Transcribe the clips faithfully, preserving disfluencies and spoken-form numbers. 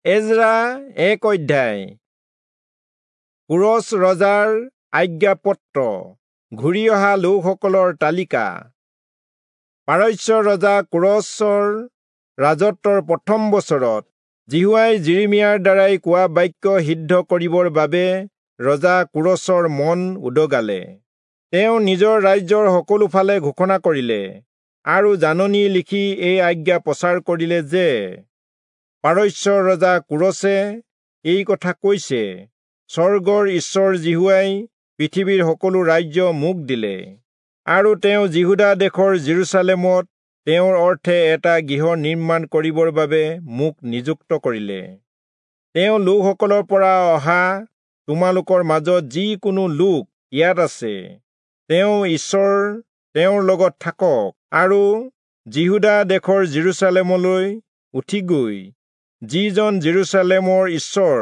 এজৰা এক অধ্যায়। কোৰচ ৰজাৰ আজ্ঞাপত্ৰ, ঘূৰি অহা লোকসকলৰ তালিকা। পাৰস্য ৰজা কোৰচৰ ৰাজত্বৰ প্ৰথম বছৰত যিহোৱাই যিৰিমিয়াৰ দ্বাৰাই কোৱা বাক্য সিদ্ধ কৰিবৰ বাবে ৰজা কোৰচৰ মন উদগালে। তেওঁ নিজৰ ৰাজ্যৰ সকলো ফালে ঘোষণা কৰিলে আৰু জাননী লিখি এই আজ্ঞা প্ৰচাৰ কৰিলে যে পাৰস্য ৰজা কোৰচে এই কথা কৈছে, স্বৰ্গৰ ঈশ্বৰ যিহোৱাই পৃথিৱীৰ সকলো ৰাজ্য মোক দিলে, আৰু তেওঁ যিহূদা দেশৰ যিৰূচালেমত তেওঁৰ অৰ্থে এটা গৃহ নিৰ্মাণ কৰিবৰ বাবে মোক নিযুক্ত কৰিলে। তেওঁ লোকসকলৰ পৰা অহা তোমালোকৰ মাজত যি কোনো লোক ইয়াত আছে, তেওঁ ঈশ্বৰ তেওঁৰ লগত থাকক, আৰু যিহূদা দেশৰ যিৰূচালেমলৈ উঠি গৈ যিজন যিৰূচালেমৰ ঈশ্বৰ,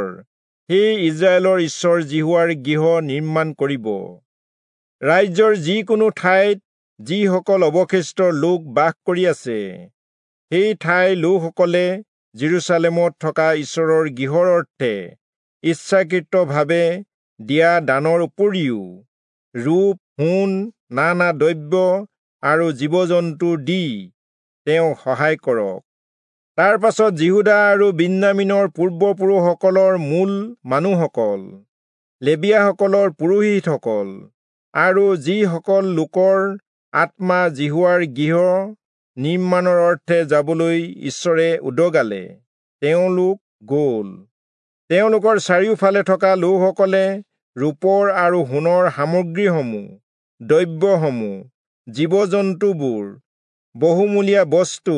সেই ইস্ৰায়েলৰ ঈশ্বৰ যিহোৱাৰ গৃহ নিৰ্মাণ কৰিব। ৰাজ্যৰ যিকোনো ঠাইত যিসকল অৱশিষ্ট লোক বাস কৰি আছে, সেই ঠাইৰ লোকসকলে যিৰূচালেমত থকা ঈশ্বৰৰ গৃহৰ অৰ্থে ইচ্ছাকৃতভাৱে দিয়া দানৰ উপৰিও ৰূপ, সোণ, নানা দ্ৰব্য আৰু জীৱ-জন্তু দি তেওঁক সহায় কৰক। তাৰ পাছত যিহূদা আৰু বিন্যামীনৰ পূৰ্বপুৰুষসকলৰ মূল মানুহসকল, লেবীয়াসকলৰ পুৰোহিতসকল আৰু যিসকল লোকৰ আত্মা যিহোৱাৰ গৃহ নিৰ্মাণৰ অৰ্থে যাবলৈ ঈশ্বৰে উদগালে, তেওঁলোক গ'ল। তেওঁলোকৰ চাৰিওফালে থকা লোকসকলে ৰূপৰ আৰু সোণৰ সামগ্ৰীসমূহ, দ্ৰব্যসমূহ, জীৱ-জন্তুবোৰ, বহুমূলীয়া বস্তু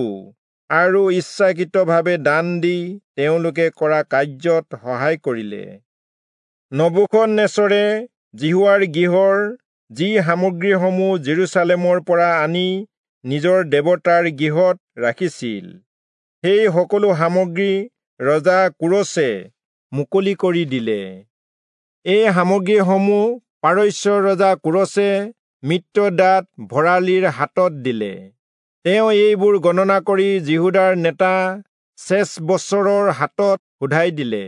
আৰু ইচ্ছাকৃতভাৱে দান দি তেওঁলোকে কৰা কাৰ্যত সহায় কৰিলে। নবূখদনেচৰে যিহোৱাৰ গৃহৰ যি সামগ্ৰীসমূহ যিৰূচালেমৰ পৰা আনি নিজৰ দেৱতাৰ গৃহত ৰাখিছিল, সেই সকলো সামগ্ৰী ৰজা কোৰচে মুকলি কৰি দিলে। এই সামগ্ৰীসমূহ পাৰস্য ৰজা কোৰচে মিত্ৰদাত ভঁৰালীৰ হাতত দিলে। তেওঁ এইবোৰ গণনা কৰি যিহূদাৰ নেতা চেচবচৰৰ হাতত শোধাই দিলে।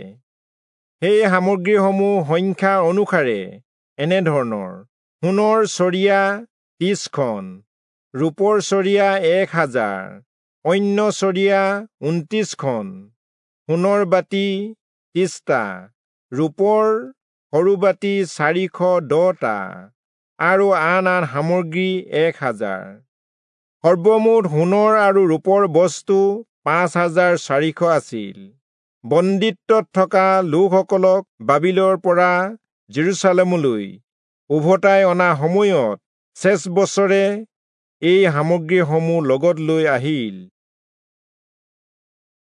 সেই সামগ্ৰীসমূহ সংখ্যা অনুসাৰে এনেধৰণৰ: সোণৰ চৰিয়া ত্ৰিশখন, ৰূপৰ চৰিয়া এক হাজাৰ, অন্য চৰিয়া ঊনত্ৰিশখন, সোণৰ বাতি ত্ৰিশটা, ৰূপৰ সৰু বাতি চাৰিশ দহটা আৰু আন আন সামগ্ৰী এক হাজাৰ। সৰ্বমুঠ সোণৰ আৰু ৰূপৰ বস্তু পাঁচ হাজাৰ চাৰিশ আছিল। বন্দীত্বত থকা লোকসকলক বাবিলৰ পৰা যিৰূচালেমলৈ উভতাই অনা সময়ত চেচবচৰে এই সামগ্ৰীসমূহ লগত লৈ আহিল।